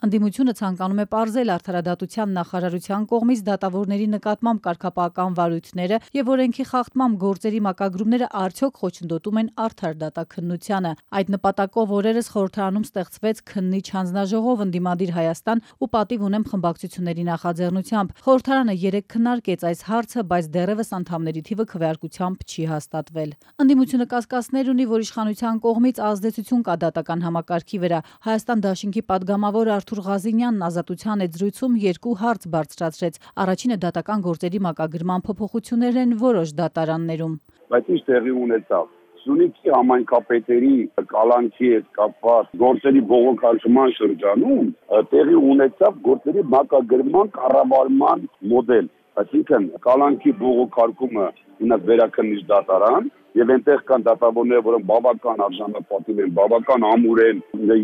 Ընդդիմությունը ցանկանում է պարզել արդարադատության նախարարության կողմից դատավորների նկատմամբ կարգապահական վարույթները եւ օրենքի խախտման գործերի մակագրումները արդյոք խոչընդոտում են արդար դատաքննությանը։ Այդ նպատակով օրերս խորհրդարանում ստեղծվեց քննիչ հանձնաժողով ընդդիմադիր Հայաստան ու պատիվ ունեմ խմբակցությունների նախաձեռնությամբ։ Խորհրդարանը 3 քննարկեց այս հարցը, բայց դեռևս անդամների թիվը քվեարկությամբ չի հաստատվել։ Ընդդիմությունը կասկածներ ունի, որ իշխանության կողմից ազդեցություն կա դատական համակարգի վրա։ Հայաստան դաշինքի падգամավոր Արթուր Ղազինյանն Ազատության այդ զրույցում 2 հարց բարձրացրեց։ Առաջինը դատական գործերի մակագրման փոփոխություններն են որոշ դատարաններում։ Բայց ինչ տեղի ունեցավ։ Սյունիքի համայնքապետերի կալանքի հետ կապված գործերի բողոքարկման շրջանում տեղի ունեցավ գործերի մակագրման կառավարման մոդել։ Այսինքն կալանքի բողոքարկումը ունած վերաքննիչ դատարան եւ այնտեղ կան դատավորներ, որոնք բավական արժանապատիվ են, բավական ամուր են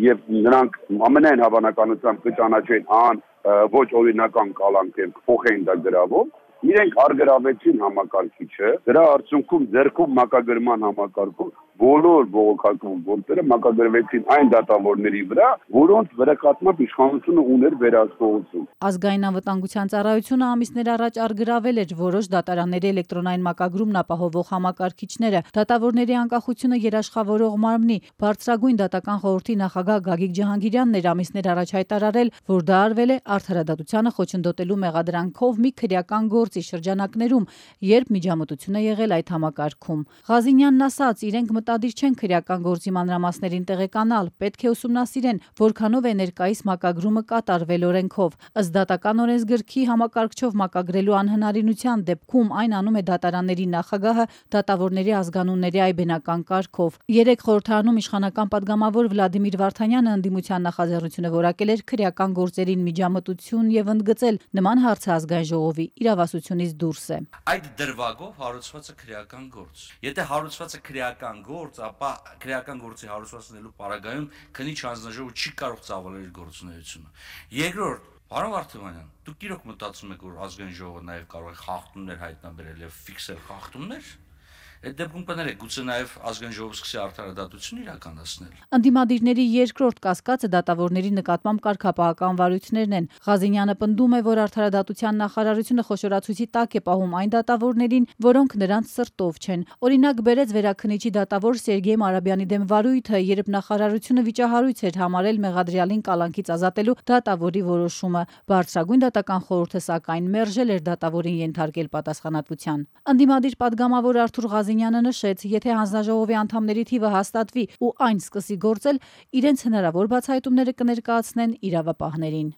եւ նրանք ամենայն հավանականությամբ կճանաչեն ոչ օրինական կալանք են, փոխեն դա գրավով։ Իրենք արգրավեցին համակարգիչը, դրա արդյունքում ձեռքով մակագրման համակարգով բոլոր բողոքարկման գործերը մակագրվեցին այն դատավորների վրա, որոնց վերակազմամբ իշխանությունը ուներ վերահսկողություն։ Ազգային անվտանգության ծառայությունը ամիսներ առաջ արգրավել էր որոշ դատարանների էլեկտրոնային մակագրումն ապահովող համակարգիչները։ Դատավորների անկախությունը երաշխավորող մարմնի բարձրագույն դատական խորհրդի նախագահ Գագիկ Ջահանգիրյանն էր ամիսներ առաջ հայտարարել, որ դա արվել է արդարադատությանը խոչընդոտելու մեղադրանքով մի քրեական գործի շրջանակներում, երբ միջամտություն է եղել այդ համակարգում։ Ղազինյանն ասաց, իրենք մտադիր չեն քրեական գործի մանրամասներին տեղեկանալ, պետք է ուսումնասիրեն, որքանով է ներկայիս մակագրումը կատարվել օրենքով։ Ըստ դատական օրենսգրքի համակարգչով մակագրելու անհնարինության դեպքում այն անում է դատարանների նախագահը դատավորների ազգանունների այբենական կարգով։ 3 խորհրդարանում իշխանական падգամավոր Վլադիմիր Վարդանյանը ընդդիմության նախաձեռնությունը որակել էր քրեական գործերին միջամտություն եւ ընդգծել նման հարցը ազգային ժողովի իրավասությունից դուրս է։ Այդ դրվագով հարուցված է քրեական գործ։ Եթե հարուցված է քրեական գործ, ապա քրեական գործի հարուցվածնելու պարագայում քննիչ հանձնաժողովը չի կարող ծավալել գործունեությունը։ Երկրորդ, պարոն Վարդանյան, դուք իրոք մտածում եք, որ ազգային ժողովը նաև կարող է խախտումներ հայտնաբերել եւ ֆիքսել խախտումներ։ Այդ դեպքում կներեք, գուցե նաև ազգային ժողովը սկսի արդարադատություն իրականացնել։ Ընդդիմադիրների երկրորդ կասկածը դատավորների նկատմամբ կարգապահական վարույթներն են։ Ղազինյանը պնդում է, որ արդարադատության նախարարությունը խոշորացույցի տակ է պահում այն դատավորներին, որոնք նրանց սրտով չեն։ Օրինակ բերեց վերաքննիչի դատավոր Սերգեյ Մարաբյանի դեմ վարույթը, երբ նախարարությունը վիճահարույց էր համարել մեղադրյալին կալանքից ազատելու դատավորի որոշումը։ Բարձրագույն դատական խորհուրդը սակայն մերժել էր դատավորին ենթարկել պատասխանատվության։ Ընդդիմադիր падգամավոր Արթուր Ղազինյանը նշեց, եթե հանձնաժողովի անդամների թիվը հաստատվի ու այն սկսի գործել, իրենց հնարավոր բացահայտումները կներկայացնեն իրավապահներին։